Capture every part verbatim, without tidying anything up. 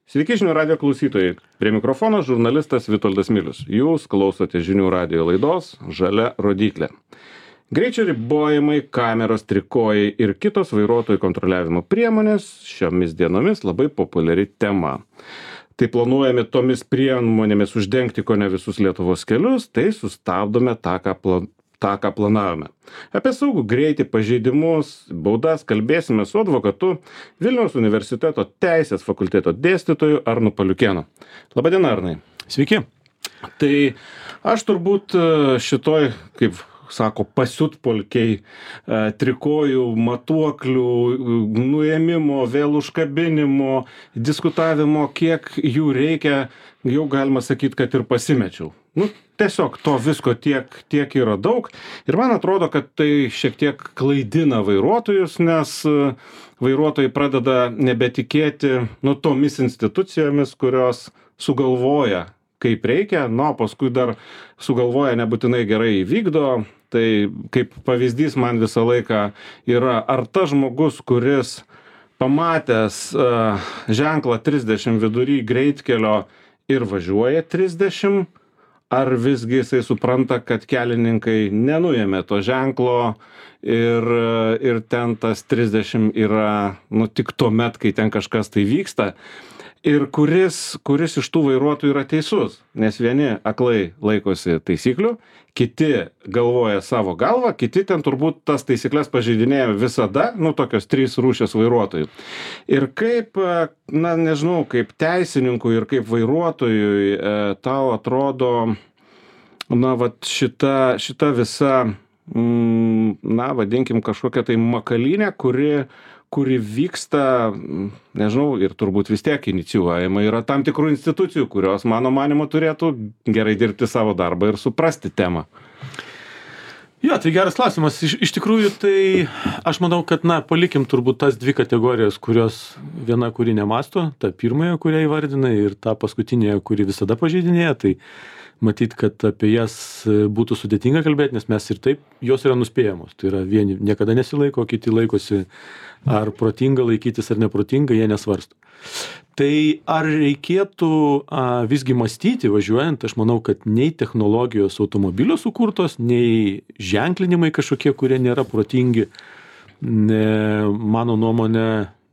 Sveiki žinių radijo klausytojai. Prie mikrofono žurnalistas Vitoldas Milius. Jūs klausote žinių radijo laidos Žalia rodyklė. Greičio ribojimai, kameros, trikojai ir kitos vairuotojų kontroliavimo priemonės šiomis dienomis labai populiari tema. Tai planuojame tomis priemonėmis uždengti kone visus Lietuvos kelius, tai sustabdome tą, ką planuojame. tą, ką planavome. Apie saugų greitį, pažeidimus, baudas kalbėsime su advokatu Vilniaus universiteto teisės fakulteto dėstytoju Arnu Paliukėnu. Labadiena, Arnai. Sveiki. Tai aš turbūt šitoj, kaip sako, pasiutpolkiai, trikojų, matuoklių, nuėmimo, vėl užkabinimo, diskutavimo, kiek jų reikia, jau galima sakyti, kad ir pasimečiau. Nu, tiesiog to visko tiek, tiek yra daug ir man atrodo, kad tai šiek tiek klaidina vairuotojus, nes vairuotojai pradeda nebetikėti nu, tomis institucijomis, kurios sugalvoja, kaip reikia, nu, paskui dar sugalvoja nebūtinai gerai įvykdo. Tai kaip pavyzdys man visą laiką yra, ar tas žmogus, kuris pamatęs uh, ženklą trisdešimt vidury greitkelio ir važiuoja trisdešimt, ar visgi jisai supranta, kad kelininkai nenuėmė to ženklo ir, ir ten tas trisdešimt yra nu, tik tuo met, kai ten kažkas tai vyksta. Ir kuris, kuris iš tų vairuotojų yra teisus, nes vieni aklai laikosi taisyklių, kiti galvoja savo galvą, kiti ten turbūt tas taisyklės pažeidinėja visada, nu tokios trys rūšės vairuotojų. Ir kaip, na nežinau, kaip teisininkui ir kaip vairuotojui e, tau atrodo, na vat šita, šita visa, mm, na vadinkim kažkokia tai makalynė, kuri kuri vyksta, nežinau, ir turbūt vis tiek inicijuojama yra tam tikrų institucijų, kurios, mano manimo, turėtų gerai dirbti savo darbą ir suprasti temą. Jo, tai geras klausimas. Iš, iš tikrųjų, tai aš manau, kad, na, palikim turbūt tas dvi kategorijas, kurios viena, kuri nemasto, ta pirmąją, kurią įvardinai, ir ta paskutinė, kuri visada pažeidinėja, tai matyt, kad apie jas būtų sudėtinga kalbėti, nes mes ir taip, jos yra nuspėjamos. Tai yra vieni niekada nesilaiko, kiti laikosi ar protinga laikytis ar neprotinga, jie nesvarsto. Tai ar reikėtų a, visgi mąstyti važiuojant, aš manau, kad nei technologijos automobilio sukurtos, nei ženklinimai kažkokie, kurie nėra protingi, ne, mano nuomonė,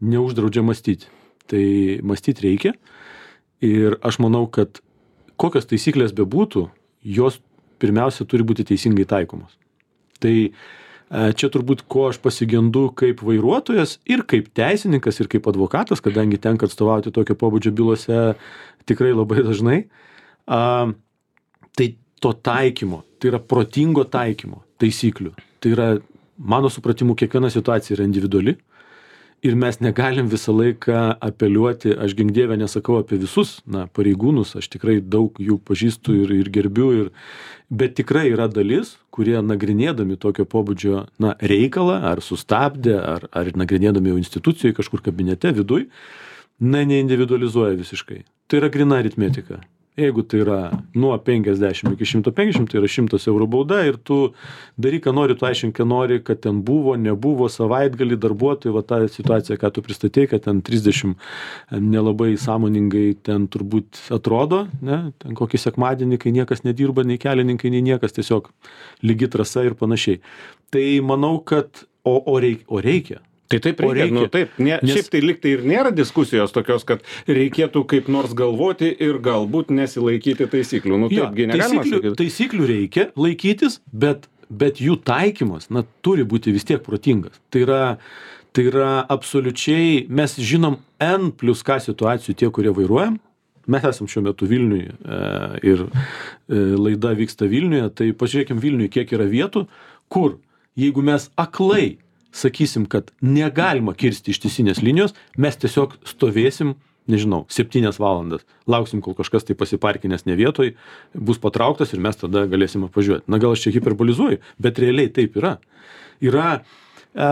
neuždraudžia mąstyti. Tai mąstyti reikia ir aš manau, kad kokios taisyklės bebūtų, jos pirmiausia turi būti teisingai taikomos. Tai čia turbūt ko aš pasigendu kaip vairuotojas ir kaip teisininkas ir kaip advokatas, kadangi tenka atstovauti tokio pobūdžio bylose tikrai labai dažnai, a, tai to taikymo, tai yra protingo taikymo taisyklių. Tai yra, mano supratimu, kiekviena situacija yra individuali. Ir mes negalim visą laiką apeliuoti, aš gink dieve nesakau apie visus na, pareigūnus, aš tikrai daug jų pažįstu ir, ir gerbiu, ir, bet tikrai yra dalis, kurie nagrinėdami tokio pobūdžio na, reikalą, ar sustabdė, ar, ar nagrinėdami jau institucijoje kažkur kabinete viduj, na, neindividualizuoja visiškai. Tai yra grina aritmetika. Jeigu tai yra nuo penkiasdešimt iki šimto penkiasdešimt, tai yra šimtas eurų bauda ir tu daryk, ką nori, tu aiškink, ką nori, kad ten buvo, nebuvo, savaitgalį darbuotojai, va tą situaciją, ką tu pristatei, kad ten trisdešimt nelabai sąmoningai ten turbūt atrodo, ne, ten kokį sekmadienį, kai niekas nedirba, nei kelininkai, nei niekas, tiesiog lygi trasa ir panašiai. Tai manau, kad, o, o, reik, o reikia. Tai taip reikia, reikia. Nu, taip, ne, nes... šiaip tai liktai ir nėra diskusijos tokios, kad reikėtų kaip nors galvoti ir galbūt nesilaikyti taisyklių. Nu, jo, taipgi negalima taisyklių, sakyti. Taisyklių reikia laikytis, bet, bet jų taikymas, na, turi būti vis tiek protingas. Tai yra, tai yra absoliučiai, mes žinom N plus K situacijų tie, kurie vairuojam. Mes esam šiuo metu Vilniuje e, ir e, laida vyksta Vilniuje, tai pažiūrėkim Vilniuje, kiek yra vietų, kur jeigu mes aklai sakysim, kad negalima kirsti ištisinės linijos, mes tiesiog stovėsim, nežinau, septynias valandas. Lauksim, kol kažkas tai pasiparkinęs ne vietoj, bus patrauktas ir mes tada galėsim apvažiuoti. Na gal aš čia hiperbolizuoju, bet realiai taip yra. Yra e,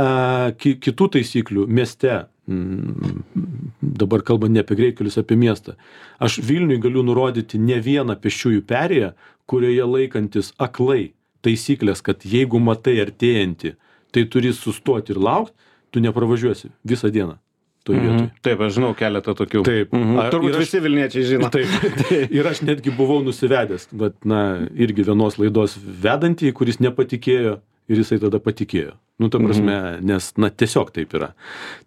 ki, kitų taisyklių mieste, dabar kalbant ne apie greitkelius, apie miestą. Aš Vilniui galiu nurodyti ne vieną pėsčiųjų perėją, kurioje laikantis aklai taisyklės, kad jeigu matai artėjantį, tai turi sustoti ir laukti, tu nepravažiuosi visą dieną. toj vietoj. Mhm. Taip, aš žinau keletą tokių. Taip. Mhm. A- Turbūt ir aš- visi Vilniečiai žino. Taip. Ir aš netgi buvau nusivedęs, bet, na, irgi vienos laidos vedantį, kuris nepatikėjo ir jisai tada patikėjo. Nu, ta prasme, nes, na, tiesiog taip yra.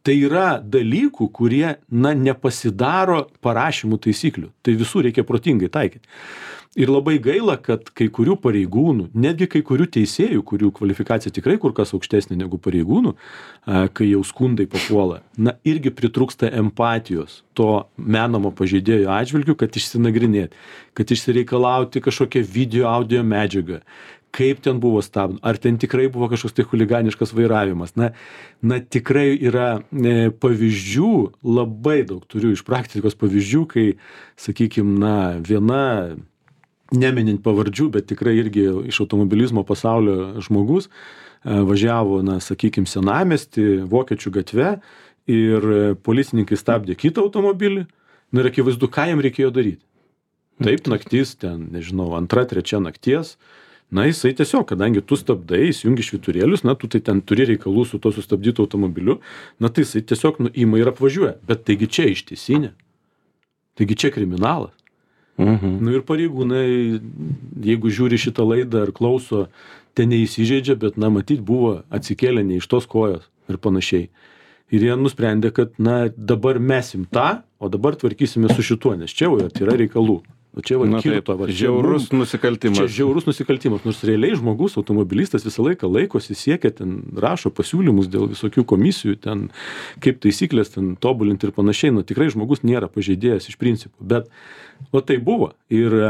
Tai yra dalykų, kurie, na, nepasidaro parašymų taisyklių. Tai visų reikia protingai taikyti. Ir labai gaila, kad kai kurių pareigūnų, netgi kai kurių teisėjų, kurių kvalifikacija tikrai kur kas aukštesnė negu pareigūnų, a, kai jau skundai papuola, na, irgi pritrūksta empatijos to menamo pažeidėjo atžvilgių, kad išsinagrinėti, kad išsireikalauti kažkokią video, audio medžiagą, kaip ten buvo stabdoma, ar ten tikrai buvo kažkoks tai chuliganiškas vairavimas. Na, na tikrai yra e, pavyzdžių, labai daug turiu iš praktikos pavyzdžių, kai, sakykime, na, viena, neminint pavardžių, bet tikrai irgi iš automobilizmo pasaulio žmogus e, važiavo, na, sakykime, senamiestį, Vokiečių gatve ir policininkai stabdė kitą automobilį. Na ir akivaizdu, ką jam reikėjo daryti. Taip, naktis, ten, nežinau, antra, trečia nakties. Na, jisai tiesiog, kadangi tu stabdai, įsijungi švyturėlius, na, tu tai ten turi reikalų su to sustabdytu automobiliu, na, tai jisai tiesiog nu, ima ir apvažiuoja. Bet taigi čia ištisinė. Taigi čia kriminalas. Mhm. Nu ir pareigūnai, jeigu žiūri šitą laidą ar klauso, ten neįsižeidžia, bet, na, matyt, buvo atsikėlę ne iš tos kojos ir panašiai. Ir jie nusprendė, kad, na, dabar mesim tą, o dabar tvarkysime su šituo, nes čia jau yra reikalų. O čia va, Na, kirto, taip, va, čia žiaurus mum- nusikaltimas. Čia žiaurus nusikaltimas, nors realiai žmogus, automobilistas visą laiką laikosi, siekia, ten rašo pasiūlymus dėl visokių komisijų, ten kaip taisyklės ten tobulinti ir panašiai. Nu, tikrai žmogus nėra pažeidėjas iš principų, bet o tai buvo. Ir, e,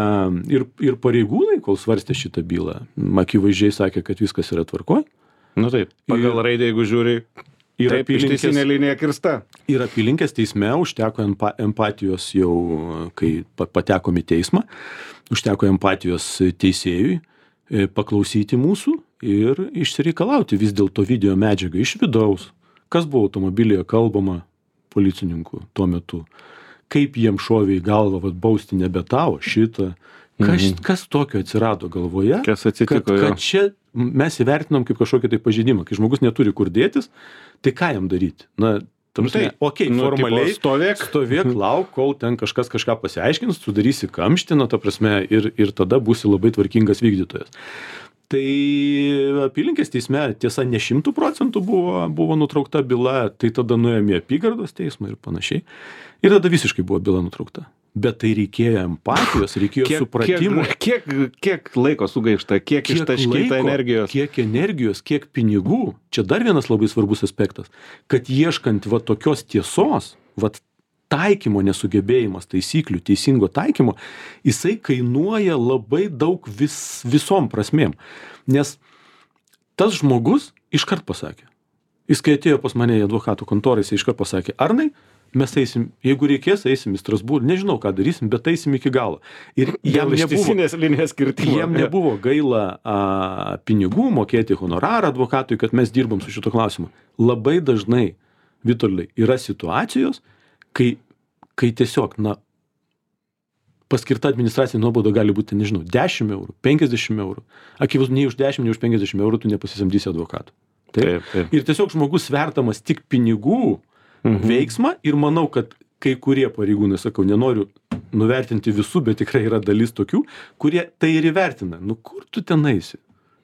ir, ir pareigūnai, kol svarstė šitą bylą, akivaizdžiai sakė, kad viskas yra tvarkoj. Nu taip, pagal raidę, jeigu žiūri, Ir taip, apylinkės- ištisinė linija kirsta. Ir apylinkės teisme užteko empa, empatijos jau, kai pa- patekom į teismą, užteko empatijos teisėjui e, paklausyti mūsų ir išsireikalauti vis dėlto video medžiagą iš vidaus, kas buvo automobilyje kalbama policininkų tuo metu, kaip jiem šovė į galvą, vat, bausti nebe tavo, šitą, kas, Mhm. kas tokio atsirado galvoje, Kas atsitiko, kad, jo. kad čia mes įvertinam kaip kažkokį tai pažeidimą, kai žmogus neturi kur dėtis, tai ką jam daryti? Na, ta Nu, prasme, tai, okei, nu, formaliai tipo, stovėk. stovėk, lauk, kol ten kažkas kažką pasiaiškins, sudarysi kamštiną, ta prasme, ir, ir tada būsi labai tvarkingas vykdytojas. Tai apylinkės teisme, tiesa, ne šimtų procentų buvo, buvo nutraukta byla, tai tada nuėjome į apygardos teismą ir panašiai. Ir tada visiškai buvo byla nutraukta. Bet tai reikėjo empatijos, reikėjo Kiek, supratimo. kiek, kiek, kiek laiko sugaišta, kiek, kiek ištaškyta laiko, energijos. Kiek energijos, kiek pinigų. Čia dar vienas labai svarbus aspektas, kad ieškant va tokios tiesos, va taikymo nesugebėjimas, taisyklių, teisingo taikymo, jisai kainuoja labai daug vis, visom prasmėm. Nes tas žmogus iškart pasakė. Jis, kai atėjo pas mane į advokatų kontorą, jis iškart pasakė, Arnai, mes eisim, jeigu reikės, eisim į Strasbūrą, nežinau, ką darysim, bet eisim iki galo. Ir jam Dėl nebuvo, ištisinės linijos kirtimo. jam nebuvo gaila a, pinigų mokėti honorarą advokatui, kad mes dirbam su šito klausimu. Labai dažnai, Vitoldai, yra situacijos, kai, kai tiesiog, na, paskirta administracinė nuobauda gali būti, nežinau, dešimt eurų, penkiasdešimt eurų. Akivaizdu, nei už dešimt, nei už penkiasdešimt eurų tu nepasisamdysi advokatų. Taip, taip. Ir tiesiog žmogus vertamas tik pinigų Mhm. veiksmą ir manau, kad kai kurie pareigūnai, sakau, nenoriu nuvertinti visų, bet tikrai yra dalis tokių, kurie tai ir įvertina. Nu, kur tu ten eisi?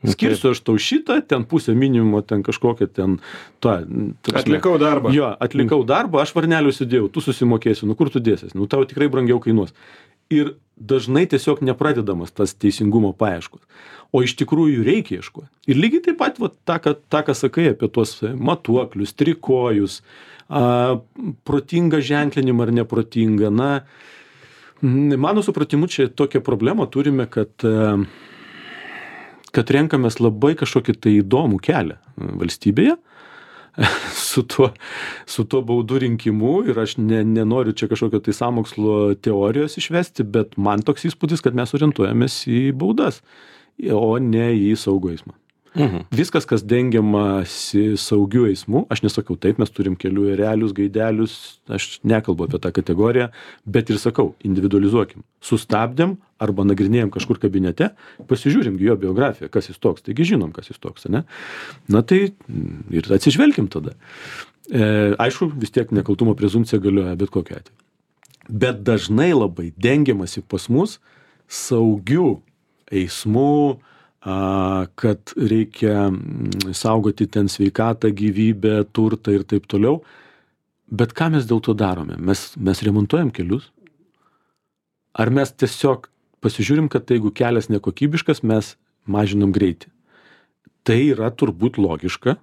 Skirsiu aš tau šitą, ten pusę minimumo, ten kažkokią ten... Ta, ta prasme, Atlikau darbą. Jo, atlikau darbą, aš varnelių sudėjau, tu susimokėsi, nu kur tu dėsies, nu tau tikrai brangiau kainuos. Ir dažnai tiesiog nepradedamas tas teisingumo paieškos. O iš tikrųjų reikia ieškoti. Ir lygiai taip pat va, tą, ką, tą, ką sakai apie tuos matuoklius, trikojus, a, protingą ženklinimą ar neprotingą. Na, mano supratimu, čia tokią problemą turime, kad, a, kad renkamės labai kažkokį tai įdomų kelią valstybėje su tuo, su tuo baudų rinkimu ir aš ne, nenoriu čia kažkokio tai sąmokslo teorijos išvesti, bet man toks įspūdis, kad mes orientuojamės į baudas, o ne į saugų eismą. Mhm. Viskas, kas dengiamasi saugiu eismu, aš nesakau taip, mes turim kelių erelius, gaidelius, aš nekalbu apie tą kategoriją, bet ir sakau, individualizuokim. Sustabdėm arba nagrinėjom kažkur kabinete, pasižiūrim jo biografiją, kas jis toks, taigi žinom, kas jis toks, ne? Na tai ir atsižvelkim tada. E, aišku, vis tiek nekaltumo prezumpcija galioja bet kokiu atveju. Bet dažnai labai dengiamasi pas mus saugių eismų, a, kad reikia saugoti ten sveikatą, gyvybę, turtą ir taip toliau. Bet ką mes dėl to darome? Mes, mes remontuojam kelius? Ar mes tiesiog pasižiūrim, kad tai, jeigu kelias nekokybiškas, mes mažinam greitį? Tai yra turbūt logiška,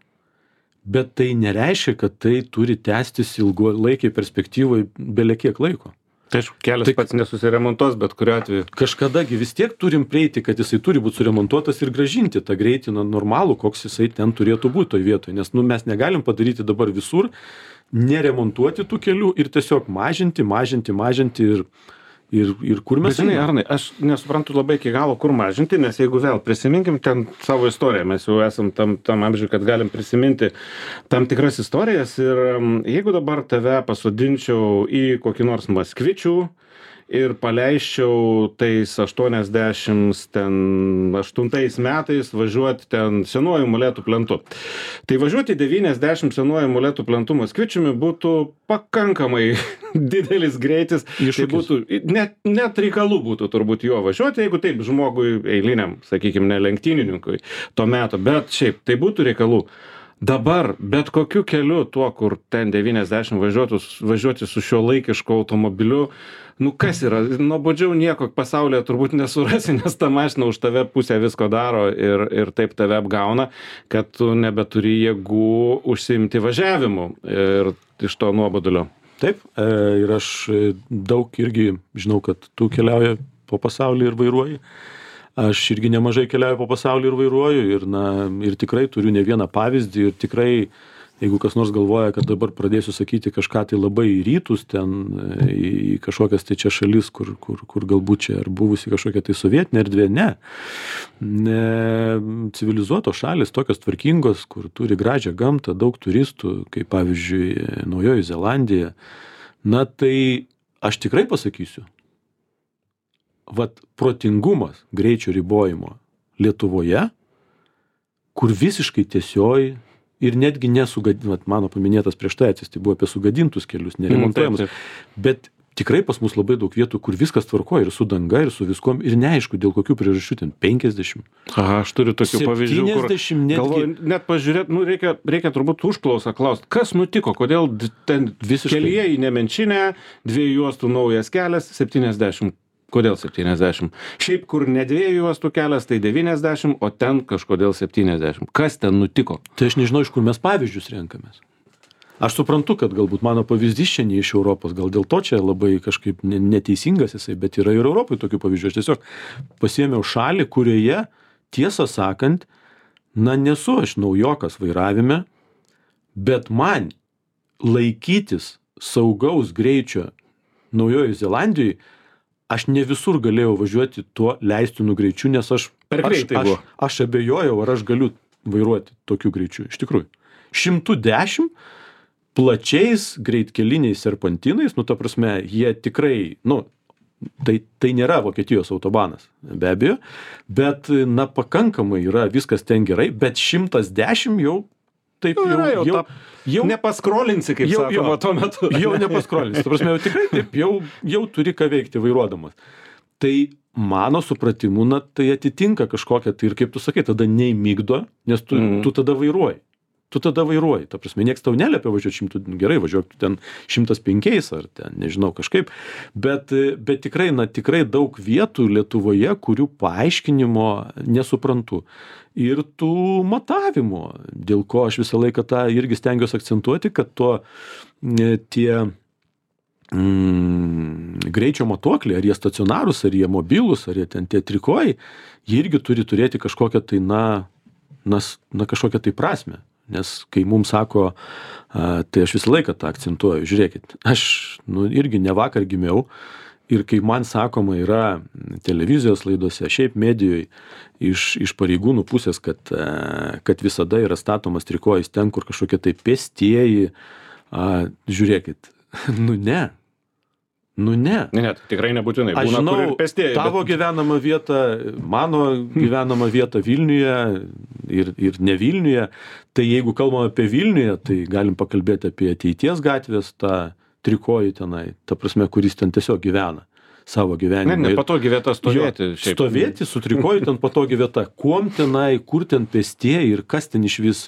bet tai nereiškia, kad tai turi tęstis ilgalaikiai perspektyvai belekiek laiko. Tai aišku, kelias Tai- pats nesusiremontuos, bet kuriuo atveju. Kažkadagi vis tiek turim prieiti, kad jisai turi būti suremontuotas ir gražinti tą greitį na, normalų, koks jisai ten turėtų būti toj vietoje. Nes nu, mes negalim padaryti dabar visur, neremontuoti tų kelių ir tiesiog mažinti, mažinti, mažinti ir, ir, ir kur mes Bet žinai, einam? Arnai, aš nesuprantu labai iki galo, kur mažinti, nes jeigu vėl prisiminkim ten savo istoriją, mes jau esam tam, tam amžiui, kad galim prisiminti tam tikras istorijas ir um, jeigu dabar tave pasodinčiau į kokį nors Maskvičių ir paleisčiau tais aštuoniasdešimt aštuntais metais važiuoti ten senuoju molėtų plentu. Tai važiuoti devyniasdešimt senuoju molėtų plentu Maskvičiumi būtų pakankamai didelis greitis. Tai Iššūkis. būtų, net, net reikalų būtų turbūt jo važiuoti, jeigu taip žmogui eiliniam, sakykime, ne lenktynininkui to meto, bet šiaip tai būtų reikalų. Dabar bet kokiu keliu tuo, kur ten devyniasdešimt važiuotų, važiuoti su šio laikišku automobiliu, nu kas yra, nuobodžiau nieko pasaulyje turbūt nesurasi, nes ta mašina už tave pusę visko daro ir, ir taip tave apgauna, kad tu nebeturi jėgų užsiimti važiavimu ir iš to nuobodulio. Taip, e, ir aš e, daug irgi žinau, kad tu keliauji po pasaulį ir vairuoji. Aš irgi nemažai keliauju po pasaulį ir vairuoju ir, na, ir tikrai turiu ne vieną pavyzdį ir tikrai, jeigu kas nors galvoja, kad dabar pradėsiu sakyti kažką tai labai į rytus, ten į kažkokias tai čia šalis, kur, kur, kur galbūt čia ar buvusi kažkokia tai sovietinė erdvė, ne. ne. Civilizuotos šalis, tokios tvarkingos, kur turi gražią gamtą, daug turistų, kaip pavyzdžiui Naujoji Zelandija, na tai aš tikrai pasakysiu, vat protingumas greičio ribojimo Lietuvoje, kur visiškai tiesioji ir netgi nesugadinat, mano paminėtas prieš tai atsist, tai buvo apie sugadintus kelius, neremontuojamus, Mm, taip, bet tikrai pas mus labai daug vietų, kur viskas tvarkoja ir su danga, ir su viskom, ir neaišku, dėl kokių priežasčių ten penkiasdešimt. Aha, aš turiu tokių pavyzdžių, kur septyniasdešimt netgi. galvoju, net pažiūrėt, nu reikia, reikia turbūt užklausą klausti, kas nutiko, kodėl d- ten Visiškai. kelyje į Nemenčinę, dviejų juostų naujas kelias, septyniasdešimt. Kodėl septyniasdešimt? Šiaip, kur ne dviejų juostų kelias, tai devyniasdešimt, o ten kažkodėl septyniasdešimt. Kas ten nutiko? Tai aš nežinau, iš kur mes pavyzdžius renkamės. Aš suprantu, kad galbūt mano pavyzdys čia ne iš Europos, gal dėl to čia labai kažkaip ne- neteisingas jisai, bet yra ir Europai tokių pavyzdžių. Aš tiesiog pasiėmiau šalį, kurioje, tiesą sakant, na nesu aš naujokas vairavime, bet man laikytis saugaus greičio Naujojoje Zelandijoje, aš ne visur galėjau važiuoti tuo leistinu greičiu, nes aš, Per aš, greitai aš, buvo. aš abejojau, ar aš galiu vairuoti tokiu greičiu. Iš tikrųjų. šimtas dešimt plačiais greitkeliniais serpantinais, nu ta prasme, jie tikrai, nu, tai, tai nėra Vokietijos autobanas, be abejo, bet, na, pakankamai yra viskas ten gerai, bet šimtas dešimt jau taip Nu, jau, yra jau jau, ta- jau, Nepaskrolinsi, kaip Jau- sakoma, jo. tuo metu. jau nepaskrolinsi. Ta prasme, jau tikrai taip, jau, jau turi ką veikti vairuodamas. Tai mano supratimu, na, tai atitinka kažkokią, tai ir kaip tu sakai, tada neįmygdo, nes tu, Mhm. tu tada vairuoji. Tu tada vairuoji. Ta prasme, nieks tau neliepia važiuoti šimtu, gerai, važiuok tu ten šimtas penkiais ar ten, nežinau, kažkaip. Bet, bet tikrai, na, tikrai daug vietų Lietuvoje, kurių paaiškinimo nesuprantu. Ir tų matavimo, dėl ko aš visą laiką tą irgi stengiuosi akcentuoti, kad to e, tie mm, greičio matuokliai, ar jie stacionarūs, ar jie mobilūs, ar jie ten tie trikojai, jie irgi turi turėti kažkokią tai, na, na, s- na kažkokią tai prasme. Nes kai mums sako, a, tai aš visą laiką tą akcentuoju, žiūrėkit, aš nu, irgi ne vakar gimiau ir kai man sakoma yra televizijos laidose, šiaip medijoje iš, iš pareigūnų pusės, kad, a, kad visada yra statomas trikojais ten, kur kažkokie tai pėstieji, a, žiūrėkit, nu ne. Nu ne. Ne, ne, tai tikrai nebūtinai. Aš Būna, kur ir žinau pėstieji, tavo bet- gyvenamą vietą, mano gyvenamą vietą Vilniuje ir, ir ne Vilniuje. Tai jeigu kalbame apie Vilniuje, tai galim pakalbėti apie ateities gatvės, tą trikojį tenai, ta prasme, kuris ten tiesiog gyvena savo gyvenimą. Ne, nepatogi vieta stovėti. Jo, stovėti su trikoju ten patogi vieta. Kuom tenai, kur ten pėstieji ir kas ten iš vis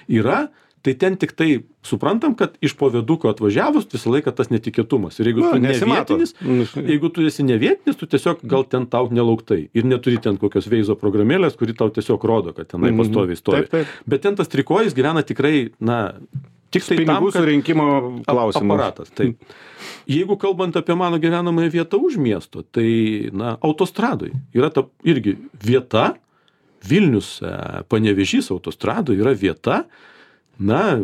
yra, tai ten tik tai suprantam, kad iš po viaduko atvažiavus visą laiką tas netikėtumas. Ir jeigu Na, tu nesimato. nevietinis, jeigu tu esi nevietinis, tu tiesiog gal ten tau nelauktai. Ir neturi ten kokios veizo programėlės, kuri tau tiesiog rodo, kad tenai Mhm. pastoviai stovi. Taip, taip. Bet ten tas trikojis gyvena tikrai, na, tik tai tam, Pinigų kad surinkimo klausimas. aparatas. Tai jeigu kalbant apie mano gyvenamąją vietą už miesto, tai, na, autostradoj yra ta irgi vieta, Vilnius, e, Panevėžys autostradoj yra vieta, na,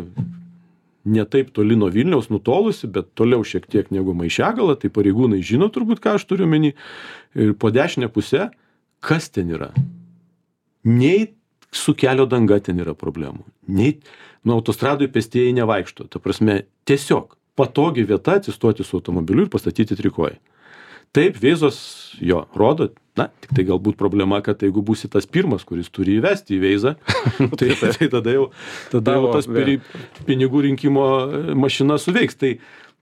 ne taip toli nuo Vilniaus nutolusi, bet toliau šiek tiek negu Maišiagala, tai pareigūnai žino turbūt, ką aš turiu omeny. Ir po dešinę pusę, kas ten yra? Nei su kelio danga ten yra problemų, nei nuo autostradoj pėstieji nevaikšto. Ta prasme, tiesiog patogi vieta atsistoti su automobiliu ir pastatyti trikojį. Taip, veizos jo rodo, na, tik tai galbūt problema, kad jeigu būsi tas pirmas, kuris turi įvesti į veizą, tai, tai tada jau, tada jau tas piri, pinigų rinkimo mašina suveiks. Tai,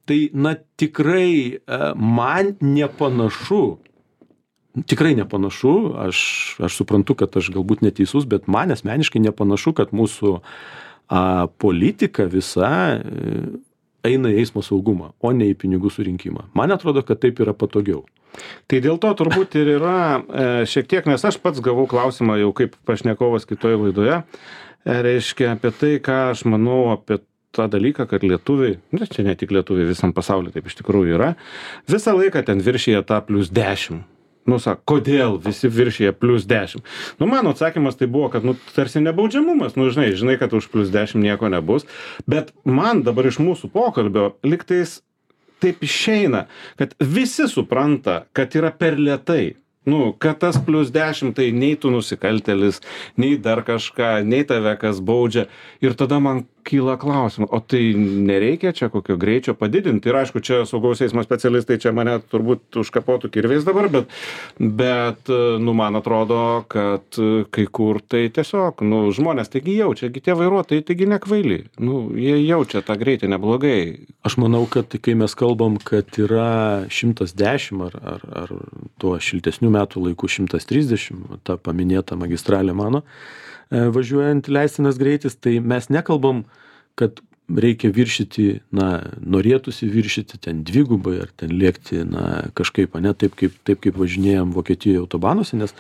tai na, tikrai man nepanašu, tikrai nepanašu, aš, aš suprantu, kad aš galbūt neteisus, bet man asmeniškai nepanašu, kad mūsų a, politika visa eina į eismo saugumą, o ne į pinigų surinkimą. Man atrodo, kad taip yra patogiau. Tai dėl to turbūt ir yra e, šiek tiek, nes aš pats gavau klausimą jau kaip pašnekovas kitoje laidoje, e, reiškia apie tai, ką aš manau apie tą dalyką, kad lietuviai, ne, čia ne tik lietuviai, visam pasaulyje taip iš tikrųjų yra, visą laiką ten viršyje tą plus dešimt. Nu, sako, kodėl visi viršyje plus dešimt? Nu, mano atsakymas tai buvo, kad, nu, tarsi nebaudžiamumas, nu, žinai, žinai, kad už plus dešimt nieko nebus, bet man dabar iš mūsų pokalbio liktais taip išeina, kad visi supranta, kad yra per lėtai. Nu, kad tas plus dešimt tai nei tu nusikaltėlis, nei dar kažką, nei tave kas baudžia. Ir tada man kyla klausimas, o tai nereikia čia kokio greičio padidinti? Ir aišku, čia saugaus eismo specialistai čia mane turbūt užkapotų kirviais dabar, bet, bet, nu, man atrodo, kad kai kur tai tiesiog, nu, žmonės taigi jaučia, tie vairuotojai taigi nekvaili. Nu, jie jaučia tą greitį neblogai. Aš manau, kad kai mes kalbam, kad yra šimtas dešimt ar, ar, ar tuo šiltesnių metų laikų šimtas trisdešimt, ta paminėta magistralė mano, važiuojant leistinas greitis, tai mes nekalbam, kad reikia viršyti, na, norėtųsi viršyti ten dvigubai ar ten lėkti, na, kažkaip, ne, taip kaip, taip kaip važinėjom Vokietijoje autobanuose, nes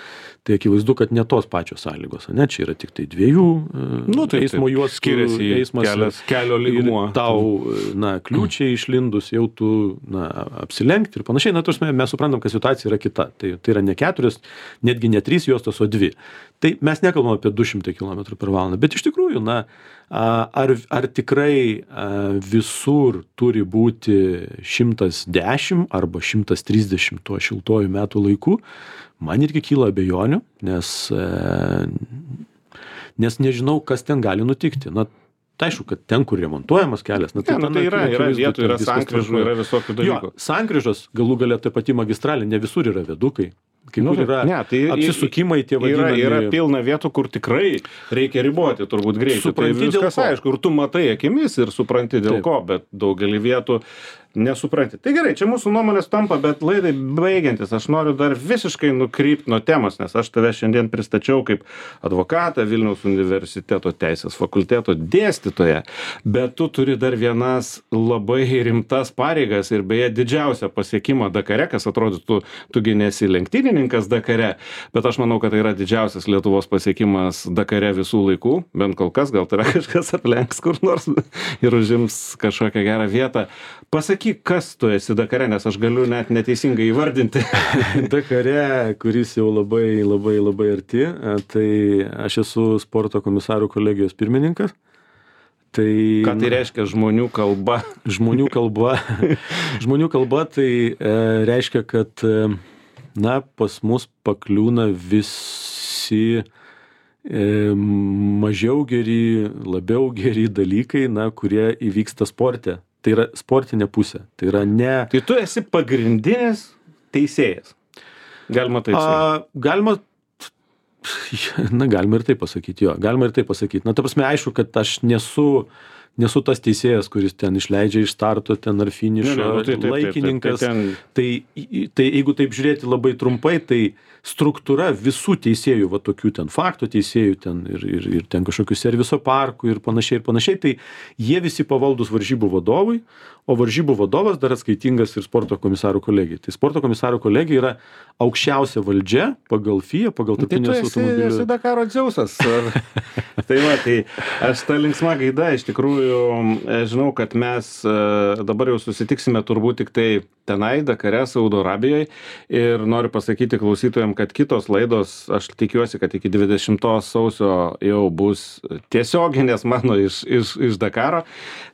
tai akivaizdu, kad ne tos pačios sąlygos, ne, čia yra tik tai dviejų nu, taip, eismo juostų, skiriasi eismas, kelias, kelio lygmuo. Tau, na, kliūčiai išlindus, jau tu, na, apsilenkti ir panašiai, na, tuosme, mes suprantam, kad situacija yra kita, tai, tai yra ne keturios, netgi ne trys juostos, o dvi. Tai mes nekalbam apie du šimtai kilometrų per valandą, bet iš tikrųjų, na, ar, ar tikrai visur turi būti šimtas dešimt arba šimtas trisdešimt tuo šiltuoju metų laiku, man irgi kyla abejonių, nes, nes nežinau, kas ten gali nutikti. Na, tai aišku, kad ten, kur remontuojamas kelias, na, tai, ja, tai yra, yra vietų, yra sankryžų, yra visokių dalykų. Jo, sankryžos, galų galia ta pati magistralė, ne visur yra viadukai. Kai nu, kur yra ne, tai apsisukimai tie vadinami. Yra, yra pilna vietų, kur tikrai reikia riboti turbūt greitį. Tai viskas aišku, ir tu matai akimis ir supranti dėl Taip. Ko, bet daugelį vietų nesupranti. Tai gerai, čia mūsų nuomonės tampa, bet laidai baigiantis, aš noriu dar visiškai nukrypti nuo temos, nes aš tave šiandien pristačiau kaip advokatą Vilniaus universiteto teisės fakulteto dėstytoją, bet tu turi dar vienas labai rimtas pareigas ir beje didžiausią pasiekimą Dakare, kas atrodytų, tugi nesi lenktynininkas Dakare, bet aš manau, kad tai yra didžiausias Lietuvos pasiekimas Dakare visų laikų, bent kol kas, gal tave kažkas aplenks kur nors ir užims kažkokią gerą vietą. Pasakyk, kas tu esi Dakare, nes aš galiu net neteisingai įvardinti. Dakare, kuris jau labai, labai, labai arti, tai aš esu sporto komisarų kolegijos pirmininkas. Tai, ką tai reiškia žmonių kalba? Žmonių kalba. Žmonių kalba tai e, reiškia, kad e, na, pas mus pakliūna visi e, mažiau geri, labiau geri dalykai, na, kurie įvyksta sporte. Tai yra sportinė pusė. Tai yra ne... Tai tu esi pagrindinis teisėjas. Galima taip sakyti. Galima Na, galima ir taip pasakyti, jo, galima ir taip pasakyti. Na, ta prasme, aišku, kad aš nesu, nesu tas teisėjas, kuris ten išleidžia iš starto ten ar finišo, Ne, ne, nu, tai taip, taip, laikininkas. taip, taip, Tai, tai jeigu taip žiūrėti labai trumpai, tai struktūra visų teisėjų, va tokių ten faktų teisėjų ten ir, ir, ir ten kažkokių serviso parkų ir panašiai ir panašiai, tai jie visi pavaldus varžybų vadovui, o varžybų vadovas dar atskaitingas ir sporto komisarų kolegijai. Tai sporto komisarų kolegija yra aukščiausia valdžia pagal F I A, pagal Tai tu tarptautinės esi, automobilių. esi Dakaro Dzeusas. Ar- Tai va, tai aš tą linksmą gaidą iš tikrųjų e, žinau, kad mes e, dabar jau susitiksime turbūt tik tai tenai, Dakare, Saudo Arabijoje. Ir noriu pasakyti klausytojams, kad kitos laidos, aš tikiuosi, kad iki dvidešimtos sausio jau bus tiesioginės mano iš, iš, iš Dakaro.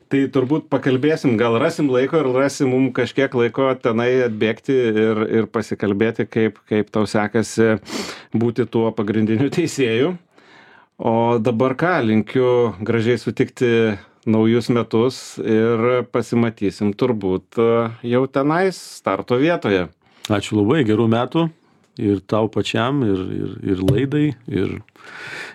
Tai turbūt pakalbėsim, gal rasim laiko ir rasim mums kažkiek laiko tenai atbėgti ir, ir pasikalbėti, kaip, kaip tau sekasi būti tuo pagrindiniu teisėju. O dabar ką, linkiu gražiai sutikti naujus metus ir pasimatysim turbūt jau tenais starto vietoje. Ačiū labai, gerų metų ir tau pačiam, ir, ir, ir laidai, ir,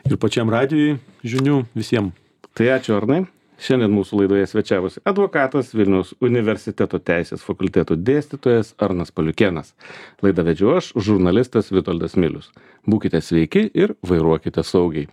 ir pačiam radijui žinių visiems. Tai ačiū, Arnai. Šiandien mūsų laidoje svečiavosi advokatas, Vilniaus universiteto teisės fakulteto dėstytojas Arnas Paliukėnas. Laidą vedžiau aš, žurnalistas Vitoldas Milius. Būkite sveiki ir vairuokite saugiai.